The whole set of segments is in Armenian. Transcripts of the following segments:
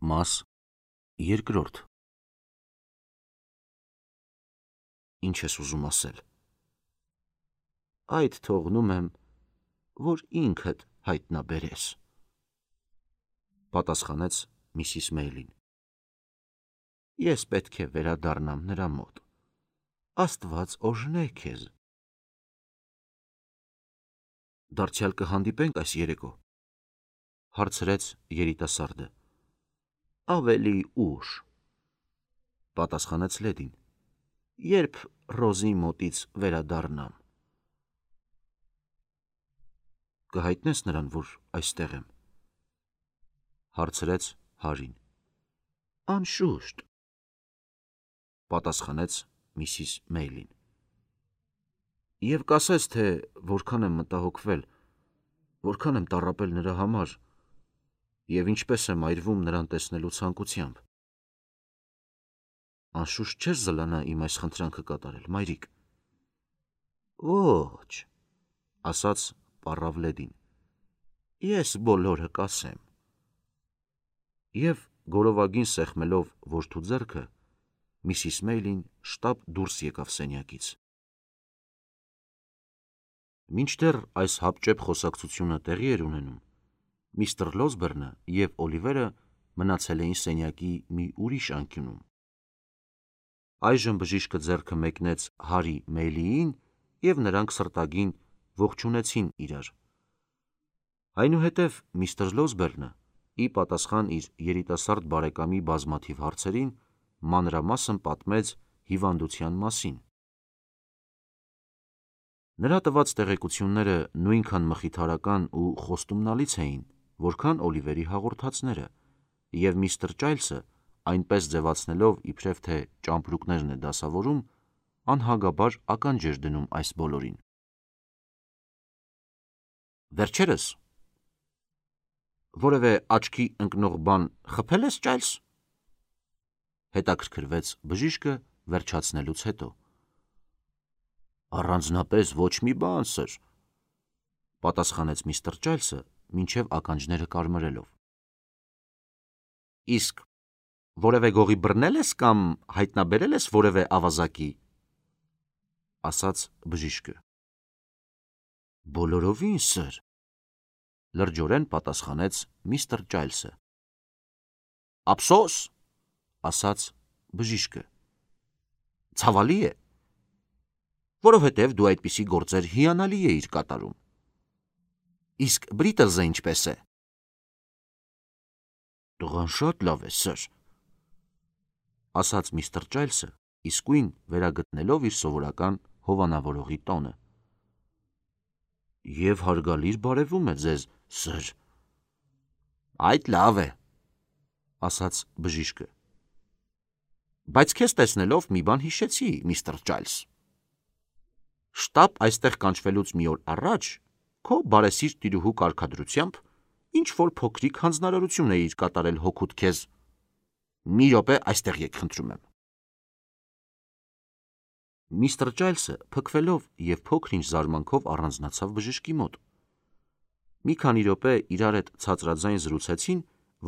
Մաս երկրորդ։ Ինչ ես ուզում ասել։ Այդ թողնում եմ, որ ինքդ հայտնաբերես, պատասխանեց Միսիս Մեյլին։ Ես պետք է վերադառնամ նրա մոտ։ Աստված օրհնե քեզ։ Դարձյալ կհանդիպենք այս երեկո, հարցրեց երիտասարդը։ Ավելի ուշ, պատասխանեց լեդին, երբ Ռոզի մոտից վերադառնամ։ Կհայտնես նրան, որ այստեղ եմ, հարցրեց Հարին։ Անշուշտ, պատասխանեց Միսիս Մեյլին։ Եվ կասես, թե որքան եմ մտահոգվել, որքան եմ տառապել նրա համար, և ինչպես եմ այրվում նրան տեսնելու ցանկությամբ։ Անշուշտ չես զլանա իմ այս խնդրանքը կատարել, մայրիկ։ Ոչ, ասաց պառավ լեդին, ես բոլորը կասեմ։ Եվ գորովագին սեղմելով որդու ձեռքը, Միսիս Մեյլին շտապ դուրս եկավ սենյակից։ Մինչդեռ այս հապճեպ խոսակցությունը տեղի էր ունենում, միստր Լոսբերնը և Օլիվերը մնացել էին սենյակի մի ուրիշ անկյունում։ Այժմ բժիշկը ձեռքը մեկնեց Հարի Մեյլիին, և նրանք սրտագին ողջունեցին իրար։ Այնուհետև միստր Լոսբերնը, ի պատասխան իր երիտասարդ բարեկամի բազմաթիվ հարցերին, մանրամասն պատմեց հիվանդության մասին։ Նրա տված տեղեկությունները նույնքան մխիթարական ու խոստումնալից էին, որքան Օլիվերի հաղորդածները, և միստր Ճայլսը, այնպես ձևացնելով, իբրև թե ճամպրուկներն է դասավորում, անհագաբար ականջ էր դնում այս բոլորին։ Վերջերս որևէ աչքի ընկնող բան խփել ես, Ճայլս, հետաքրքրվեց բժիշկը վերջացնելուց հետո։ Առանձնապես ոչ մի բան, սըր, պատասխանեց միստր Ճայլսը, մինչև ականջները կարմրելով։ Իսկ որևէ գողի բռնել ես կամ հայտնաբերել ես որևէ ավազակի, ասաց բժիշկը։ Բոլորովին, սըր, լրջորեն պատասխանեց միստր Ճայլսը։ Ափսոս, ասաց բժիշկը։ Ցավալի է, որովհետև դու այդպիսի գործեր հիանալի էիր կատարում։ Իսկ Բրիտլզը ինչպես է։ Տղան շատ լավ է, սըր, ասաց միստր Ճայլսը, իսկույն վերագտնելով իր սովորական հովանավորողի տոնը։ Եվ հարգալից բարևում է ձեզ, սըր։ Այդ լավ է, ասաց բժիշկը։ Բայց քեզ տեսնելով մի բան հիշեցի, միստր Ճայլս։ Շտապ այստեղ կանչվելուց մի օր առաջ քո բարեսիրտ տիրուհու կարգադրությամբ ինչ-որ փոքրիկ հանձնարարություն էիր կատարել հօգուտ քեզ։ Մի րոպե այստեղ եկ, խնդրում եմ։ Միստր Ճայլսը փքվելով և փոքր-ինչ զարմանքով առանձնացավ բժշկի մոտ։ Մի քանի րոպե իրար հետ ցածրաձայն զրուցեցին,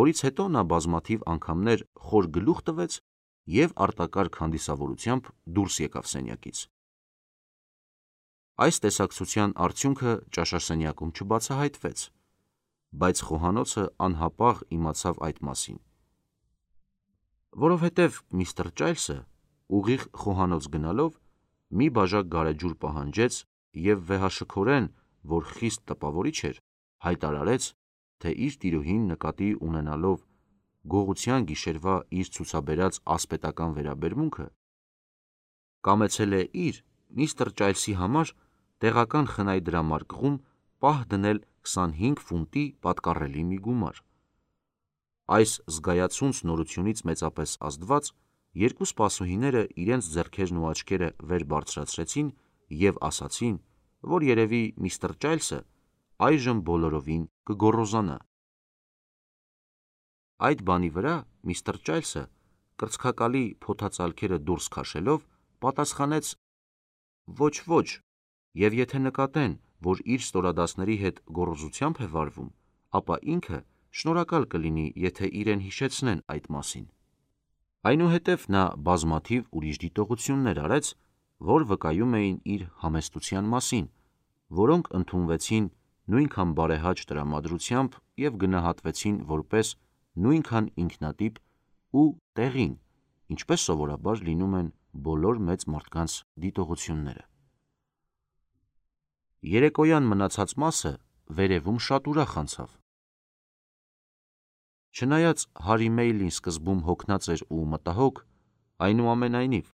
որից հետո նա բազմաթիվ անգամներ խոր գլուխ տվեց և արտակարգ հանդիսավորությամբ դուրս եկավ սենյակից։ Այս տեսակցության արդյունքը ճաշասենյակում չբացահայտվեց, բայց խոհանոցը անհապաղ իմացավ այդ մասին, որովհետև միստր Ճայլսը ուղիղ խոհանոց գնալով մի բաժակ գարեջուր պահանջեց և վեհաշքորեն, որ խիստ տպավորիչ էր, հայտարարեց, թե իր տիրուհին նկատի ունենալով գողության գիշերվա իր ցուցաբերած ասպետական վերաբերմունքը, կամեցել է իր միստր Ճայլսի համար տեղական խնայ դրամարկղում պահ դնել 25 ֆունտի պատկառելի մի գումար։ Այս զգայացունց նորությունից մեծապես ազդված, երկու սպասուհիները իրենց ձեռքերն ու աչքերը վեր բարձրացրեցին և ասացին, որ երևի միստր Ճայլսը այժմ բոլորովին կգոռոզանա։ Այդ բանի վրա միստր Ճայլսը, կրծքակալի փոթածալքերը դուրս քաշելով, պատասխանեց. Ոչ, և եթե նկատեն, որ իր ստորադասների հետ գոռոզությամբ է վարվում, ապա ինքը շնորհակալ կլինի, եթե իրեն հիշեցնեն այդ մասին։ Այնուհետև նա բազմաթիվ ուրիշ դիտողություններ արեց, որ վկայում էին իր համեստության մասին, որոնք ընդունվեցին նույնքան բարեհաճ տրամադրությամբ և գնահատվեցին որպես նույնքան ինքնատիպ ու տեղին, ինչպես սովորաբար լինում են բոլոր մեծ մարդկանց դիտողությունները։ Երեկոյան մնացած մասը վերևում շատ ուրախ անցավ։ Չնայած Հարի Մեյլին սկզբում հոգնած էր ու մտահոգ, այնուամենայնիվ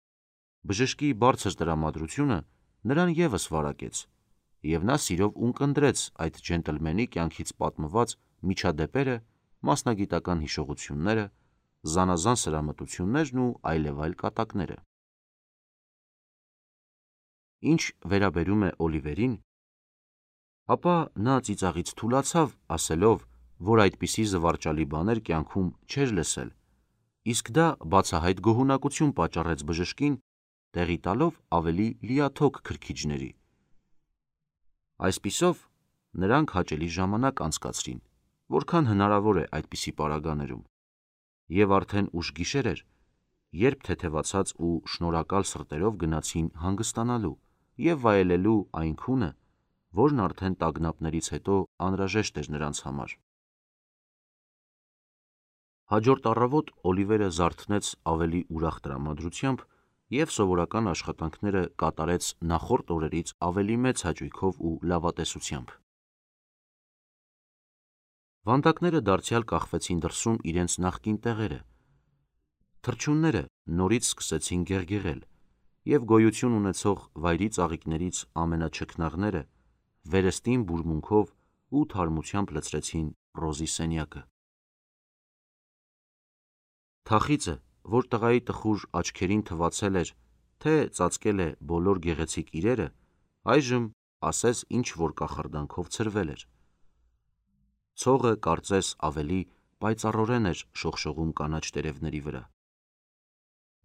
բժշկի բարձր տրամադրությունը նրան ևս վարակեց, և նա սիրով ունկնդրեց այդ ջենտլմենի կյանքից պատմված միջադեպերը, մասնագիտական հիշողությունները, զանազան սրամտություններն ու այլևայլ կատակները։ Ինչ վերաբերում է Օլիվերին, ապա նա ծիծաղից թուլացավ, ասելով, որ այդպիսի զվարճալի բաներ կյանքում չէր լսել, իսկ դա բացահայտ գոհունակություն պատճառեց բժշկին, տեղի տալով ավելի լիաթոք քրքիջների։ Այսպիսով, նրանք հաճելի ժամանակ անցկացրին, որքան հնարավոր է այդպիսի պարագաներում, և արդեն ուշ գիշեր էր, երբ թեթևացած ու շնորհակալ սրտերով գնացին հանգստանալու և վայելելու այն քունը, որն արդեն տագնապներից հետո անհրաժեշտ էր նրանց համար։ Հաջորդ առավոտ Օլիվերը զարթնեց ավելի ուրախ տրամադրությամբ և սովորական աշխատանքները կատարեց նախորդ օրերից ավելի մեծ հաճույքով ու լավատեսությամբ։ Վանդակները դարձյալ կախվեցին դրսում իրենց նախկին տեղերը։ Թռչունները նորից սկսեցին գեղգեղել, և գոյություն ունեցող վայրի ծաղիկներից ամենաչքնաղները վերստին բուրմունքով ու թարմությամբ լցրեցին Ռոզի սենյակը։ Թախիծը, որ տղայի տխուր աչքերին թվացել էր, թե ծածկել է բոլոր գեղեցիկ իրերը, այժմ ասես ինչ-որ կախարդանքով ցրվել էր։ Ցողը կարծես ավելի պայծառորեն էր շողշողում կանաչ տերևների վրա։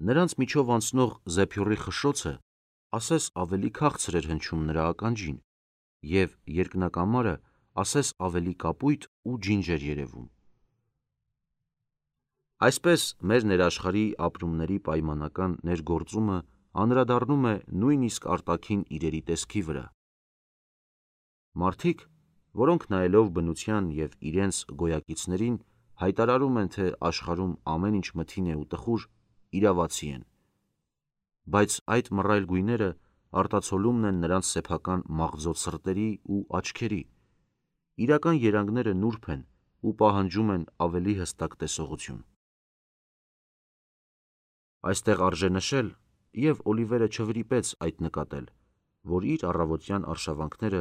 Նրանց միջով անցնող զեփյուռի խշշոցը ասես ավելի քաղցր էր հնչում նրա ականջին, և երկնակամարը ասես ավելի կապույտ ու ջինջ էր երևում։ Այսպես մեր ներաշխարհի ապրումների պայմանական ներգործումը անդրադառնում է նույնիսկ արտաքին իրերի տեսքի վրա։ Մարդիկ, որոնք նայելով բնության և իրենց գոյակիցներին հայտարարում են, թե աշխարհում ամեն ինչ մթին է ու տխուր, իրավացի են, բայց այդ մռայլ գույները արտացոլումն են նրանց սեփական մաղձոտ սրտերի ու աչքերի, իրական երանգները նուրբ են ու պահանջում են ավելի հստակ տեսողություն։ Այստեղ արժե նշել, և Օլիվերը չվրիպեց այդ նկատել, որ իր առավոտյան արշավանքները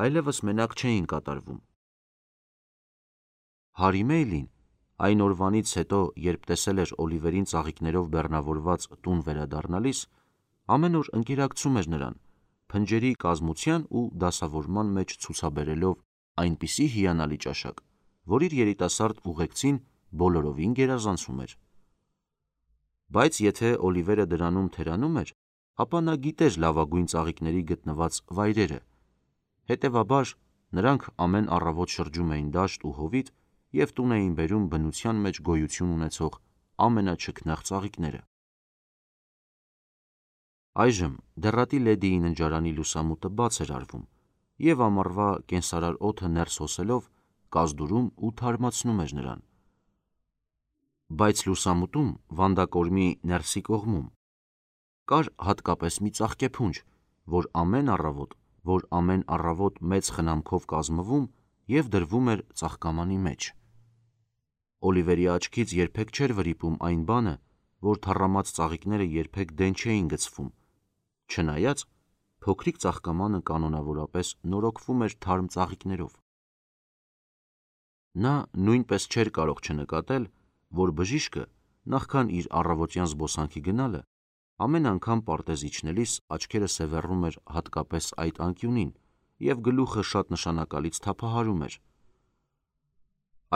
այլևս մենակ չէին կատարվում։ Հարի Մեյլին այն օրվանից հետո, երբ տեսել էր Օլիվերին ծաղիկներով բեռնավորված տուն վերադառնալիս, ամեն օր ընկերակցում էր նրան, փնջերի կազմության ու դասավորման մեջ ցուցաբերելով այնպիսի հիանալի ճաշակ, որ իր երիտասարդ ուղեկցին բոլորովին գերազանցում էր։ Բայց եթե Օլիվերը դրանում թերանում էր, ապա նա գիտեր լավագույն ծաղիկների գտնված վայրերը, հետևաբար նրանք ամեն առավոտ շրջում էին դաշտ ու հովիտ և տուն էին բերում բնության մեջ գոյություն ունեցող ամենաչքնաղ ծաղիկները։ Այժմ դեռատի լեդիի ննջարանի լուսամուտը բաց էր արվում, և ամառվա կենսարար օդը ներս հոսելով կազդուրում ու թարմացնում էր նրան։ Բայց լուսամուտում, վանդակորմի ներսի կողմում, կար հատկապես մի ծաղկեփունջ, որ ամեն առավոտ մեծ խնամքով կազմվում և դրվում էր ծաղկամանի մեջ։ Օլիվերի աչքից երբեք չէր վրիպում այն բանը, որ թառամած ծաղիկները երբեք դեն չէին գցվում, չնայած փոքրիկ ծաղկամանը կանոնավորապես նորոգվում էր թարմ ծաղիկներով։ Նա նույնպես չէր կարող չնկատել, որ բժիշկը, նախքան իր առավոտյան զբոսանքի գնալը, ամեն անգամ պարտեզ իջնելիս աչքերը սևեռում էր հատկապես այդ անկյունին և գլուխը շատ նշանակալից թափահարում էր։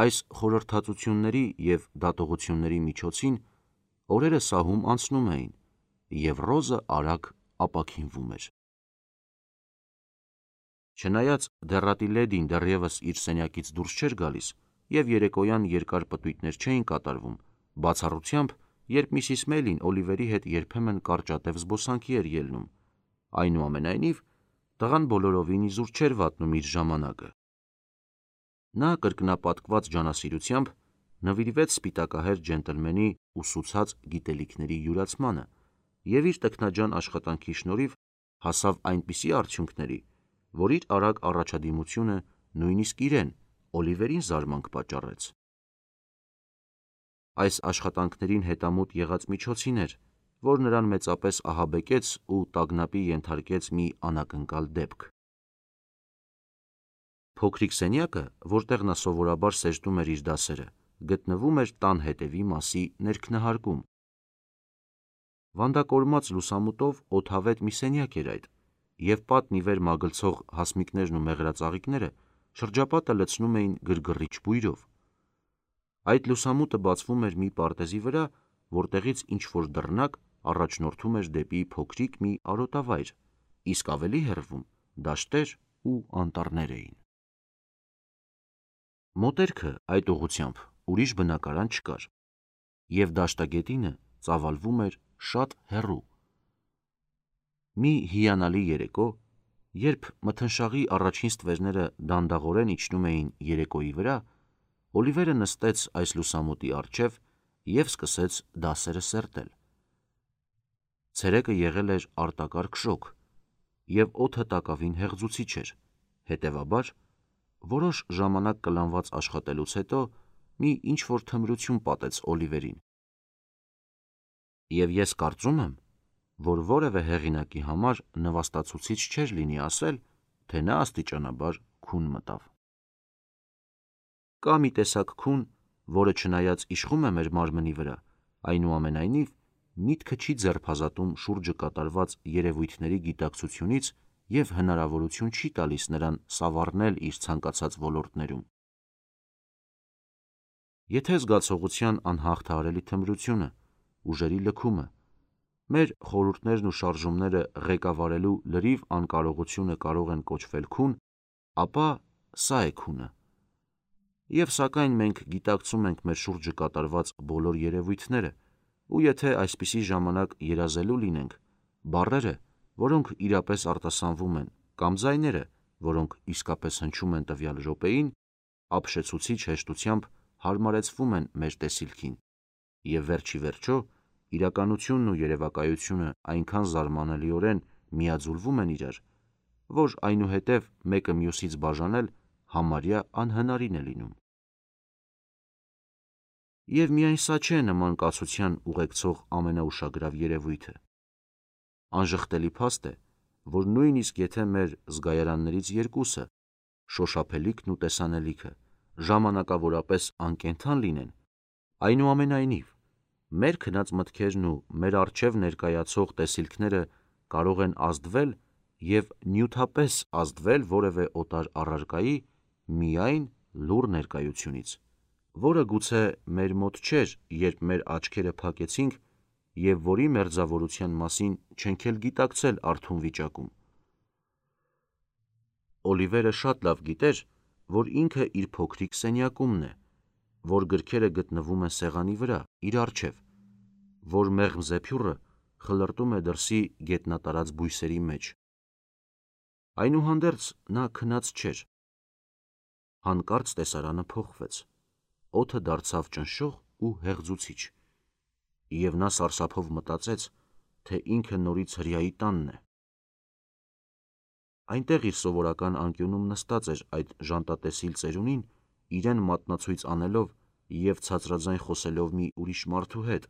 Այս խորհրդածությունների և դատողությունների միջոցին օրերը սահում անցնում էին, և Ռոզը արագ ապաքինվում էր։ Չնայած դեռատի լեդին դեռևս իր սենյակից դուրս չէր գալիս, և երեկոյան երկար պտույտներ չէին կատարվում, բացառությամբ, երբ Միսիս Մեյլին Օլիվերի հետ երբեմն կարճատև զբոսանքի էր ելնում, այնուամենայնիվ, տղան բոլորովին իզուր չէր վատնում իր ժամանակը։ Նա կրկնապատկված ջանասիրությամբ նվիրվեց սպիտակահեր ջենտլմենի ուսուցած գիտելիքների յուրացմանը և իր տքնաջան աշխատանքի շնորհիվ հասավ այնպիսի արդյունքների, որ իր արագ առաջադիմությունը նույնիսկ իրեն, Օլիվերին զարմանք պատճառեց։ Այս աշխատանքներին հետամուտ եղած միջոցին էր, որ նրան մեծապես ահաբեկեց ու տագնապի ենթարկեց մի անակնկալ դեպք։ Փոքրիկ սենյակը, որտեղ նա սովորաբար սեզդում էր իր դասերը, գտնվում էր տան հետևի մասի ներքնահարկում։ Վանդակորմած լուսամուտով օդավետ մի սենյակ էր այդ, և պատն ի վեր մագլցող հասմիկներն ու մեղրածաղիկները շրջապատը լցնում էին գրգռիչ բույրով։ Այդ լուսամուտը բացվում էր մի պարտեզի վրա, որտեղից ինչ-որ դռնակ առաջնորդում էր դեպի փոքրիկ մի արոտավայր, իսկ ավելի հեռվում դաշտեր ու անտառներ էին։ Մոտերքը այդ ուղղությամբ ուրիշ բնակարան չկար, և դաշտագետինը ծավալվում էր շատ հեռու։ Մի հիանալի երեկո, երբ մթնշաղի առաջին ստվերները դանդաղորեն իջնում էին երեկոյի վրա, Օլիվերը նստեց այս լուսամուտի առջև և սկսեց դասերը սերտել։ Ցերեկը եղել էր արտակարգ շոգ, և օդը տակավին հեղձուցիչ էր, հետևաբար, որոշ ժամանակ կլանված աշխատելուց հետո մի ինչ-որ թմրություն պատեց Օլիվերին։ Եվ ես կարծում եմ, որ որևէ հեղինակի համար նվաստացուցիչ չէր լինի ասել, թե նա աստիճանաբար քուն մտավ։ Կա մի տեսակ քուն, որը չնայած իշխում է մեր մարմնի վրա, այնուամենայնիվ միտքը չի ձերբազատում շուրջը կատարված երևույթների գիտակցությունից և հնարավորություն չի տալիս նրան սավառնել իր ցանկացած ոլորտներում։ Եթե զգացողության անհաղթահարելի թմրությունը, ուժերի լքումը, մեր խորհուրդներն ու շարժումները ղեկավարելու լրիվ անկարողությունը կարող են կոչվել քուն, ապա սա է քունը։ Եվ սակայն մենք գիտակցում ենք մեր շուրջը կատարված բոլոր երևույթները, ու եթե այսպիսի ժամանակ երազելու լինենք, բառերը, որոնք իրապես արտասանվում են, կամ ձայները, որոնք իսկապես հնչում են տվյալ րոպեին, ապշեցուցիչ հեշտությամբ հարմարեցվում են մեր տեսիլքին, և վերջիվերջո իրականությունն ու երևակայությունը այնքան զարմանալիորեն միաձուլվում են իրար, որ այնուհետև մեկը մյուսից բաժանել համարյա անհնարին է լինում։ Եվ միայն սա չէ նման կացության ուղեկցող ամենաուշագրավ երևույթը։ Անժխտելի փաստ է, որ նույնիսկ եթե մեր զգայարաններից երկուսը՝ շոշափելիքն ու տեսանելիքը, ժամանակավորապես անկենդան լինեն, այնուամենայնիվ, մեր քնած մտքերն ու մեր առջև ներկայացող տեսիլքները կարող են ազդվել և նյութապես ազդվել որևէ օտար առարկայի միայն լուռ ներկայությունից, որը գուցե մեր մոտ չէր, երբ մեր աչքերը փակեցինք և որի մերձավորության մասին չենք էլ գիտակցել արթուն վիճակում։ Օլիվերը շատ լավ գիտեր, որ ինքը իր փոքրիկ սենյակումն է, որ գրքերը գտնվում են սեղանի վրա, իր առջև, որ մեղմ զեփյուռը խլրտում է դրսի գետնատարած բույսերի մեջ։ Այնուհանդերձ նա քնած չէր։ Հանկարծ տեսարանը փոխվեց, օդը դարձավ ճնշող ու հեղձուցիչ, և նա սարսափով մտածեց, թե ինքը նորից հրեայի տանն է։ Այնտեղ իր սովորական անկյունում նստած էր այդ ժանտատեսիլ ծերունին, իրեն մատնացույց անելով և ցածրաձայն խոսելով մի ուրիշ մարդու հետ,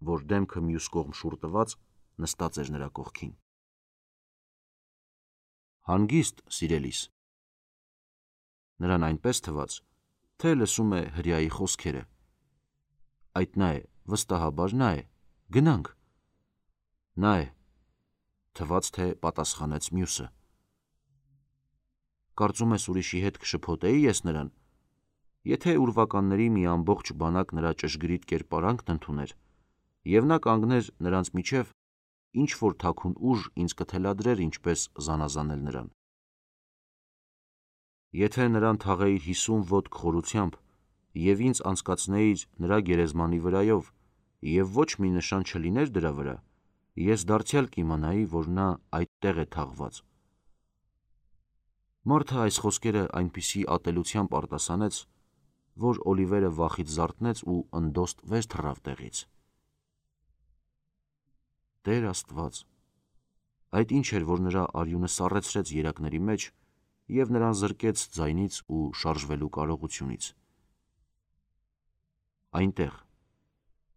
որ դեմքը մյուս կողմ շուռ տված նստած էր նրա կողքին։ Հանգիստ, սիրելիս։ Նրան այնպես թվաց, թե լսում է հրեայի խոսքերը։ Այդ նա է, վստահաբար նա է, գնանք։ Նա է, թվաց, թե պատասխանեց մյուսը։ Կարծում ես ուրիշի հետ կշփոթեի ես նրան, եթե ուրվականների մի ամբողջ բանակ նրա ճշգրիտ կերպարանքն ընդուներ, և նա կանգներ նրանց միջև, ինչ-որ թաքուն ուժ ինձ կթելադրեր ինչպես զանազանել նրան։ Եթե նրան թաղեիր 50 ոտք խորությամբ և ինձ անցկացնեիր նրա գերեզմանի վրայով և ոչ մի նշան չլիներ դրա վրա, ես դարձյալ կիմանայի, որ նա այդտեղ է թաղված։ Մարդը այս խոսքերը այնպիսի ատելությամբ արտասանեց, որ Օլիվերը վախից զարթնեց ու ընդոստ վեր թռավ տեղից։ Տեր Աստված, այդ ինչ էր, որ նրա արյունը սառեցրեց երակների մեջ և նրան զրկեց ձայնից ու շարժվելու կարողությունից։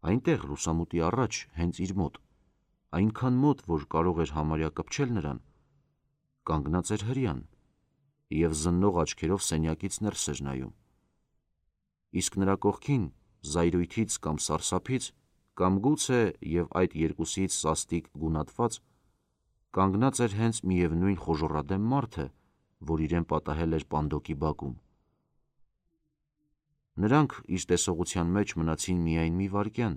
Այնտեղ լուսամուտի առաջ, հենց իր մոտ, այնքան մոտ, որ կարող էր համարյա կպչել նրան, կանգնած էր հրեան և զննող աչքերով սենյակից ներս էր նայում, իսկ նրա կողքին, զայրույթից կամ սարսափից, կամ գուցե և այդ երկուսից սաստիկ գունատված, կանգնած էր հենց միևնույն խոժոռադեմ մարդը, որ իրեն պատահել էր պանդոկի բակում։ Նրանք իր տեսողության մեջ մնացին միայն մի վայրկյան,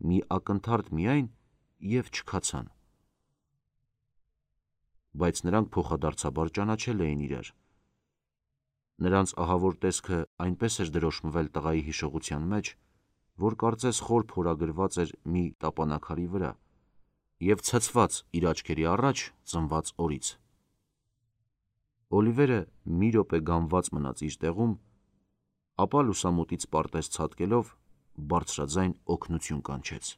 մի ակնթարթ միայն և չքացան։ Բայց նրանք փոխադարձաբար ճանաչել էին իրար։ Նրանց ահավոր տեսքը այնպես էր դրոշմվել տղայի հիշողության մեջ, որ կարծես խոր փորագրված էր մի տապանաքարի վրա և ցցված իր աչքերի առաջ ծնված օրից։ Օլիվերը մի րոպե գամված մնաց իր տեղում, ապա լուսամուտից պարտեզ ցատկելով, բարձրաձայն օգնություն կանչեց։